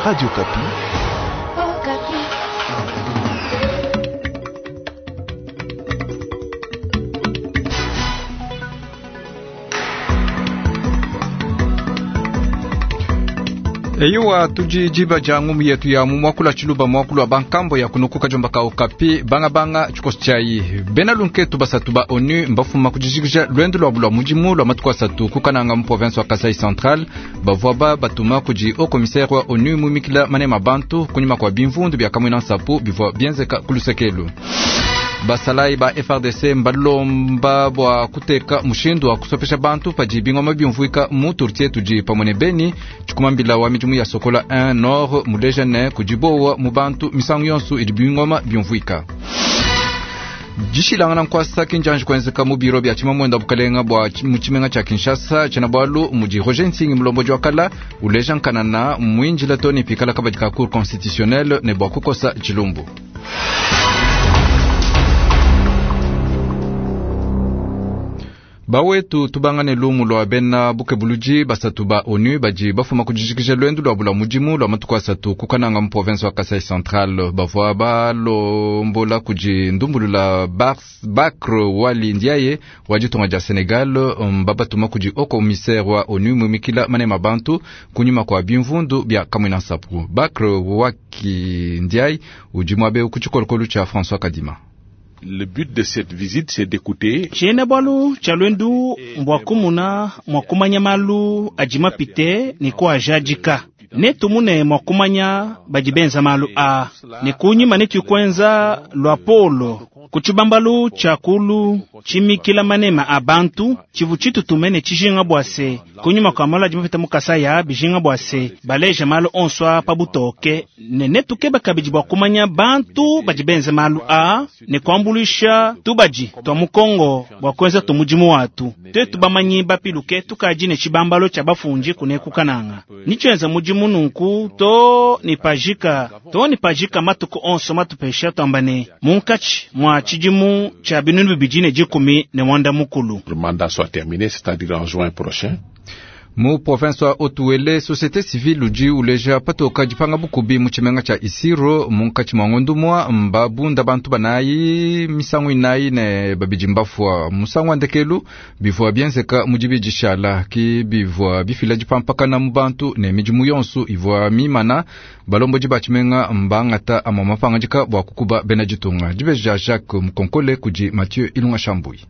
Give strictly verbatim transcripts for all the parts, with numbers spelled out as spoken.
Radio Okapi. Eyowa tudi diba dia ngumu yetu ya mu muakulu tshiluba muakulu wa bankambo ya kunukuka jomba ka Okapi bangabanga tshikoso tshiayi bena lunketu basatu ba ONU mbafuma kudijikija lwendo lwabu lwa mudimu lwa matuku asatu kukananga mu province wa Kasai Central bavua ba batuma kudi haut commissaire wa ONU mumikila manema bantu kunyima kwa bimvundu bya kamwina nsapu bivua bienzeka kulusekelu basalayi ba F R D C mbalomba bua kuteka mushindu wa kusopesha bantu padi bingoma biumvuika mu turtie tudi pamwe ne Beni tshikumambila wa midimu ya Sokola un Nord muleja ne kudibowa mu bantu misangu yonso idi bingoma biumvuika. Dishilangana nkwasa kinjanji kuenzeka mu biro bya tshimamwenda bukalenga bua mu tshimenga tshia Kinshasa tshina bwalu mudi Roger Nsingi mulomboji wa kala uleja nkanana mwinjila toni pikala kabadi ka cour constitutionnelle ne bua kukosa tshilumbu. Bawetu tubangane lumu lwa bena bukebuluji basatu ba ONU badi bafuma kudijikija lwendu lwa bula mudimu lwa matuku asatu kukananga mu province wa Kasai Central bavua balombola kudi ndumbulula Bakr Wali Ndiaye wa ditunga dia Senegal mbabatuma kudi haut commissaire wa ONU mumikila manema bantu kunyima kwa bimvundu bya Kamwina Nsapu. Bakr Waki Ndiaye udi muabe ku tshikolokolo tshia François Kadima. Le but de cette visite, c'est d'écouter. Tshiena bwalu tshia lwendu mbwa kumuna mwa kumanya malu adi mapite ne kuajadika netumune mwa kumanya badi benza malu a ne kunyima netuikwenza lwa polo ku tshibambalu tshia kulu tshimikila manema a bantu tshivu tshitutume tshijinga bua se kunyima kua malu adi mapita mu Kasaya bijinga bua se baleja malu onso a pa butoke ne netukeba kabidi bua kumanya bantu badi benza malu a ne kuambuluisha tubadi tua mu Kongo bua kuenza tumudimu watu twetu bamanyi bapiluke tukadi ne tshibambalo tshia bafundi kunekukananga nitshienza mudimu nunku to ni pajika to ni pajika matuku onso matupesha twamba ne munkatshi mwa tshidimu tshia binunu bibidi ne dikumi ne mwanda mukulu. Le mandat soit terminé, c'est-à-dire en juin prochain. Mu province wa Haut-Uele société civile udi uleja patoka dipanga bukubi mu tshimenga tshia Isiro munkatshi mua ngondumua mbabunda bantu banayi misangu inayi ne babidi mbafua musangu wa ndekelu bivua bienzeka mu dibidi shala ki bivua bifila dipampakana mu bantu ne midimu yonso ivua mimana balombodi ba tshimenga mbangata amua mapangadika bua kukuba bena ditunga dibeji dia Jacques Mukonkole kudi Mathieu Ilunga Shambui.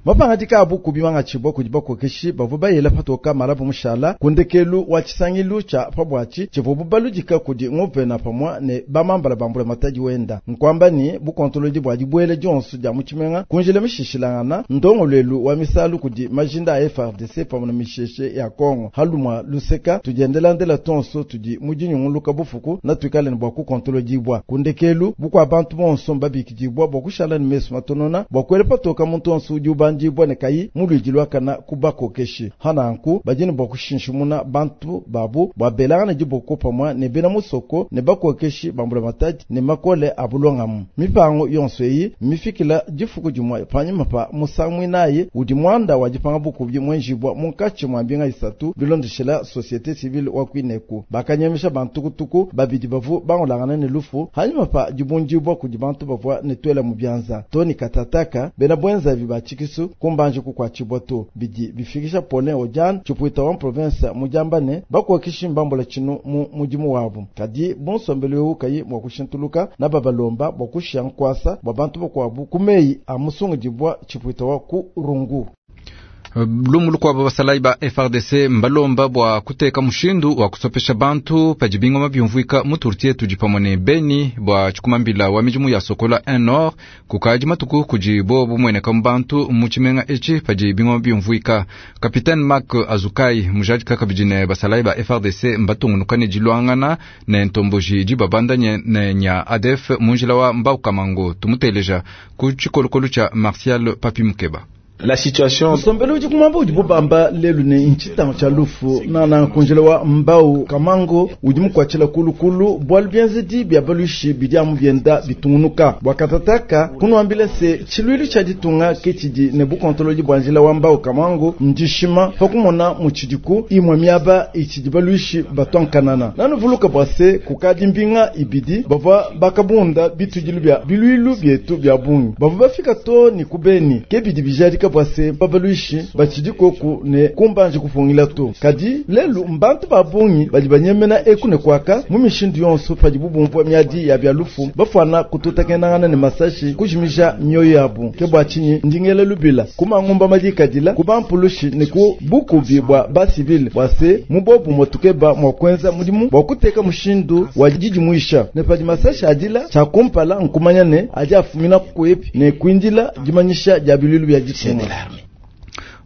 Mapangadika abu kubimanga tshibwa kudi bakokeshi bavua bayela patoka malabu mushala kundekelu wa tshisangilu tshia pabwatshi tshivua bubaludika kudi nguvena pamwa ne bamambala bambula matadi wenda nkwamba ni bukontolodi bua dibuele dionso dia mutshimenga kunjila mishishilangana ndongolwelu wa misalu kudi majinda a F A R D C pamwe na misheshe ya Kongo halumwa luseka tudiendelandela tonso tudi mudinyunguluka bufuku na tuikale ne bua kukontolodibwa kundekelu bukua bantu bonso mbabikidibwa bua kushala ne mesu matonona bua kuela patoka muntu onso udi ubandibwa ne kayi mulwidi lwakana kubakokeshi hananku badini bua kushinshimuna bantu babu bua belangana diboko pamwa ne bena musoko ne bakokeshi bambula matadi ne makole abulongamu mipango yonso eyi mifikila difuku dimue panyima pa musangu inayi udi muanda wa dipanga bukubi mwenjibwa munkatshi mua mbinga isatu bilondeshela société civile wa kuineku bakanyemesha bantukutuku babidi bavu bangolangana ne lufu hanyuma pa dibundibwa kudi bantu bavua ne twela mu bianza toni katataka bena bwenzavi ba tshikisu kumbanje kukwatshibwa to bidi bifikisha Paulin Odian tshipuita wa province mujamba ne bakokeshi mbambola tshinu mu mudimu wabu kadi bonsombelo eu kayi mua kushintuluka na babalomba bua kushia nkwasa bua bantu bakuabu ku meyi a musungudibwa tshipuita wa ku rungu. Lumu lukuabo basalayi ba F A R D C mbalomba bua kuteka mushindu wa kusopesha bantu padi bingoma biumvuika mu turtie tudi pamwe ne Beni bua tshikumambila wa midimu ya Sokola un Nord kukadi matuku kudi bo bumueneka mu bantu mu tshimenga etshi padi bingoma biumvuika. Capitaine Mark Azukai mujadika kabidi ne basalayi ba F A R D C mbatungunuka ne diluangana ne ntomboji idi babandanye ne nya A D F mu njila wa Mbaukamango tumuteleja ku tshikolokolo tshia Martial Papi Mukeba. La situation Nsombelu udi kumwamba udi bubamba lelu ne ntshitangu tshia lufu nana kunjila wa mbau kamango udi mukwatshila kulukulu bwalu bienzedi bia baluishi bidi amu bienda bitungunuka bwa katataka kunuambila se tshiluilu tshia ditunga ke tshidi ne bukontolodi bua njila wa mbau kamango ndishima pa kumona mutshidiku imwe miaba itshidi baluishi batwankanana nanuvuluka bwa se kukadi mbinga ibidi bavua bakabunda bitudilu bia biluilu bietu bia bungi bavua bafika to ni kubeni ke bidi bijadika bwa se babaluishi batshidi koku ne kumbanje kupungila to kadi lelu mbantu ba bungi badi banyemena eku ne kwaka mu mishindu yonso padi bubumvua miadi ya bya lufu bafwana kututakenangana ne masashi kujimija mioyo yabu ke bwa tshinyi ndingele lubila kumangumba madikadila kubampulushi ne ku bukubi bwa basivile bwa se mubobu motukeba mwa kwenza mudimu bwa kuteka mushindu wa didimuisha ne padi masashi adila tshia kumpala nkumanya ne adi afumina kuepi ne kuindila dimanyisha dia biluilu bia ditunga.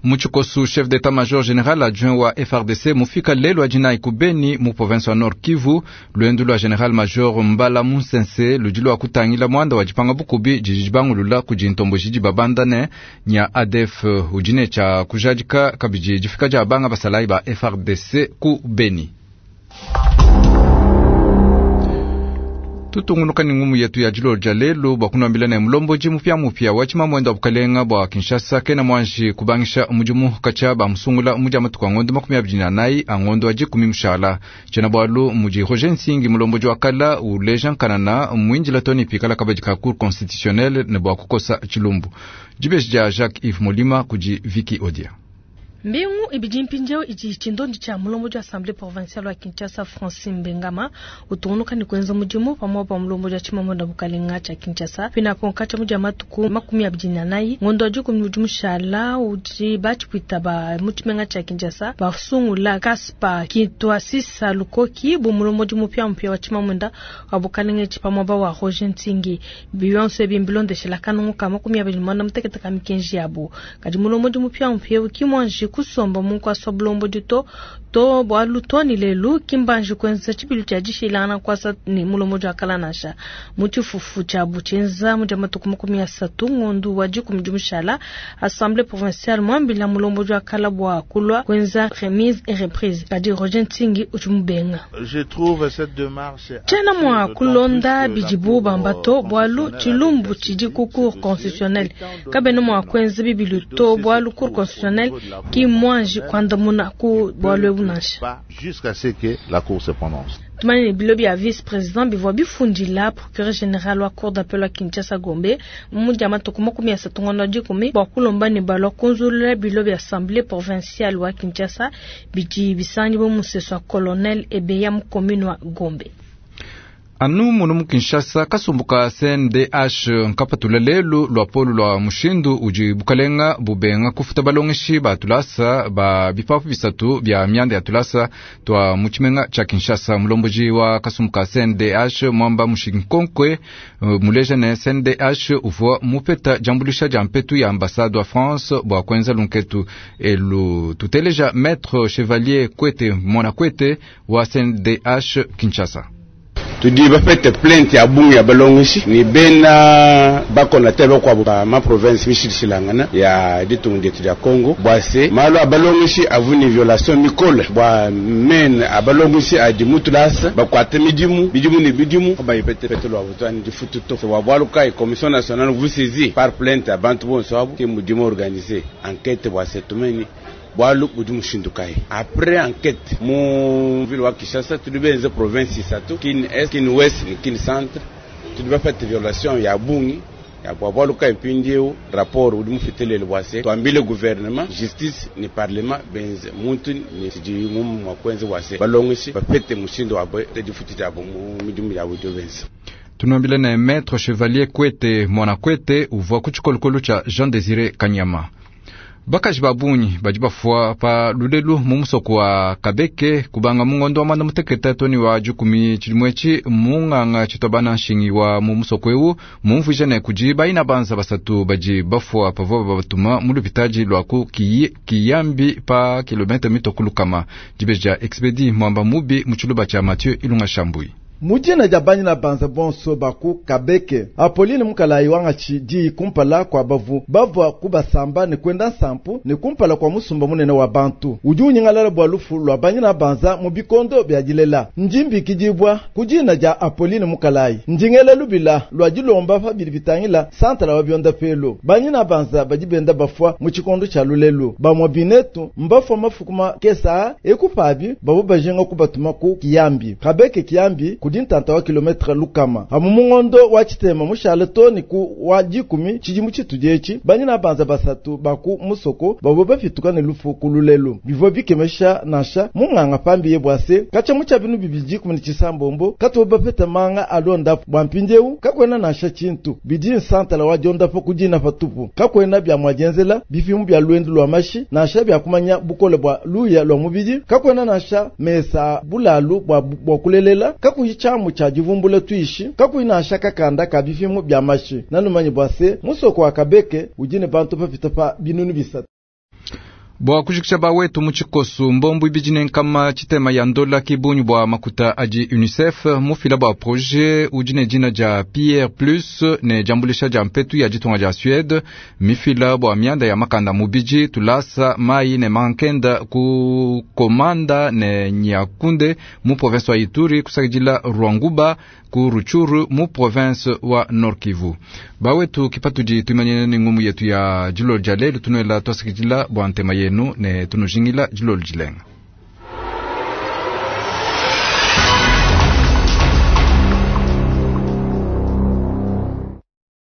Muchikosu, chef d'état-major général adjoint wa F R D C mufika lelo adina ikubeni mu province wa Nord Kivu lwendu lwa général major Mbala Munsense ludi lwa kutangila mwanda wa jipanga bukubi jijibangulula kujintombo jiji babanda ne nya A D F ujine cha kujadika kabiji jifika ja banga basalai ba F R D C ku Beni. Tutungunuka ni ngumu yetu ya jilo ja lelo bwa kunambila ne mulomboji mupya mupya wa chima mwendo wa bukalenga bwa Kinshasa kena mwanji kubangisha mujumu kacha ba musungula muja matuku ngondo makumi abiri na nayi angondo aji kumi mushala chena bwalu muji Roger Nsingi mulomboji wa kala uleja nkanana mwinjila toni pikala kabaji ka cour constitutionnelle ne bwa kukosa chilumbu jibeji ja Jacques Yves Molima kuji Vicky Odia. Mbingu ibidi mpinjeo iji chindondi cha mulombo ja Assemblée provinciale wa Kinshasa Francine Mbengama utungunuka ni kwenza mudimu pamoja pa mulombo ja chimamo bukalenga cha Kinshasa pina ponka cha muja matuku makumi abidi na nayi ngondo ajuku mudimu shala uji bachi kuitaba muchimenga cha Kinshasa basungula Kaspa Kitwasisa Lukoki bu mulombo mupya mpya wa chimamo wa bukalenga chipamoba wa Roger Nsingi Beyonce bimbilonde shela kanungu ka makumi abidi mwana mutekete ka mikenji yabo kadi mulombo mupya mpya kimwanji kusomba mungu asobulombo dito to bwalu toni lelu kimbanji kwenza chibilu cha jishilana kwasa ni mulombo jwa kalanasha muchifufu cha buchenza muja matuku makumi asatu ngondu wa jikumjumushala Assemblée provinciale mwambila mulombo jwa kala bwa kulwa kwenza remise et reprise kadi Roger Nsingi uchumubenga. Je trouve cette démarche chena mwa kulonda bijibu bambato bwalu chilumbu chidi ku cour constitutionnelle kabene mwa kwenza bibilu to bwalu cour constitutionnelle ki mwanji kwandamuna ku bwalu ebunasha jusqu'à ce que la cour se prononce. Tumani bilobi ya vice-président bivwa bifundila procureur général wa cour d'appel wa Kinshasa Gombe muja matuku makumi asatu ngondo dikumi bwa kulomba ne balwa kunzulula bilobi assemblée provinciale wa Kinshasa bidi bisangi bo museso wa colonel Ebeya mu commune wa Gombe. Anu munu mu Kinshasa kasumbuka C N D H nkapatula lelu lwa polu lwa mushindu uji bukalenga bubenga kufuta balongeshi ba tulasa ba bipapu bisatu bya myanda ya tulasa twa muchimenga cha Kinshasa. Mulomboji wa kasumbuka C N D H mwamba mushinkonkwe muleja ne C N D H uvua mupeta jambulisha jampetu ya ambassade wa France bwa kwenza lunketu elu tuteleja Maître Chevalier Kwete Mona Kwete wa C N D H Kinshasa. Tudi bapete plainte ya bungu ya balongishi ni bena bakona tebe kwa ba ma province mishilishilangana ya ditungu dietu ya Congo bwase malo abalongishi avuni violation mikole bwa men abalongishi adi mutulasa bakwate midimu midimu ni bidimu bayipete pete lwa butwani difutu to wa bwaluka e commission nationale vous saisit par plainte abantu bonso abo ke mudimu organisé enquête bwase tumeni bwalu budi mushindu kai après enquête mu ville wa Kinshasa tudi benze province isatu Kin Est, Kin Ouest ni Kin Centre tudi bafate violation ya bungi ya bwa bwalu kai mpindieu rapport udi mufitelele bwase twambile gouvernement justice ni parlement benze muntu ni siji mumu mwa kwenze bwase balongishi bapete mushindu wabwe tedifuti jabo mu midimu ya budio benze. Tunambile na Maître Chevalier Kwete Mwana Kwete uvua kuchikolokolo cha Jean Désiré Kanyama. Bakaji babunyi badi bafua pa lulelu mu musoko wa Kabeke kubanga mungondo wa mwanda muteketa toni wa jukumi chilimwechi munganga chitobana nshingi wa mu musoko ewu mumvuje ne kuji baina banza basatu baji bafua pavua babatuma mu lupitaji lwaku kiyambi pa kilomita mito kulukama jibeja expedi mwamba mubi mu chiluba cha Mathieu Ilunga Shambui. Mujina dia banyina banza bonso baku Kabeke Apoline Mukalayi wangachi di kumpala kwa bavu bavwa kubasamba ne kwenda nsampu ne kumpala kwa musumba munene wa bantu udi unyingalala bwa lufu lwa banyina banza mu bikondo bya dilela njimbi kidibwa kujina dia Apoline Mukalayi ndingela lubila lwa dilomba pa bidi bitangila santala wa byonda pelo banyina banza badi benda bafwa mu tshikondo tshia lulelu bamwa binetu mbafwa mafukuma kesa ekupabi babo bajenga kubatuma ku Kiyambi Kabeke Kiyambi kudi ntanta wa kilometre lukama amu mungondo wa chitema mushale toni ku wa dikumi tshidimu tshitudi etshi banyina banza basatu baku musoko babo bafituka ne lufu ku lulelu bivua bikemesha nansha munganga pambi bwase katshia mu tshia binu bibidi dikumi ne tshisambombo katubo bapeta manga alondapo bwa mpindiewu kakwena nansha tshintu bidi nsantala wa diondapo kudina patupu kakwena bya mwadienzela bifimu bya lwendu lwa mashi nansha bya kumanya bukole bwa luya lwa mubidi kakwena nansha mesa bulalu bwa, bwa kulelela kakuyi tshamu tsha divumbula tuishi kakuyi nansha kakanda ka bifimu bya mashi nanumanyi bwase musoko wa Kabeke udi ne bantu bapita pa binunu bisatu. Bwa kujikisha bawetu mu tshikosu mbombu ibidi ne nkama tshitema ya ndola kibunyu bwa makuta adi UNICEF mufila bwa projet udi ne dina dia Pierre Plus ne diambulisha dia mpetu ya ditunga dia Suède mifila bwa mianda ya makanda mubidi tulasa mai ne mankenda ku komanda ne Nyakunde mu province wa Ituri kusakidila Rwanguba ku Ruchuru mu province wa Nord Kivu. Bawetu kipatudi tuimanyene ni ngumu yetu ya dilolo dia lelu tunuela twasakidila bwa ntema yenu ne tunujingila dilolo dilenga.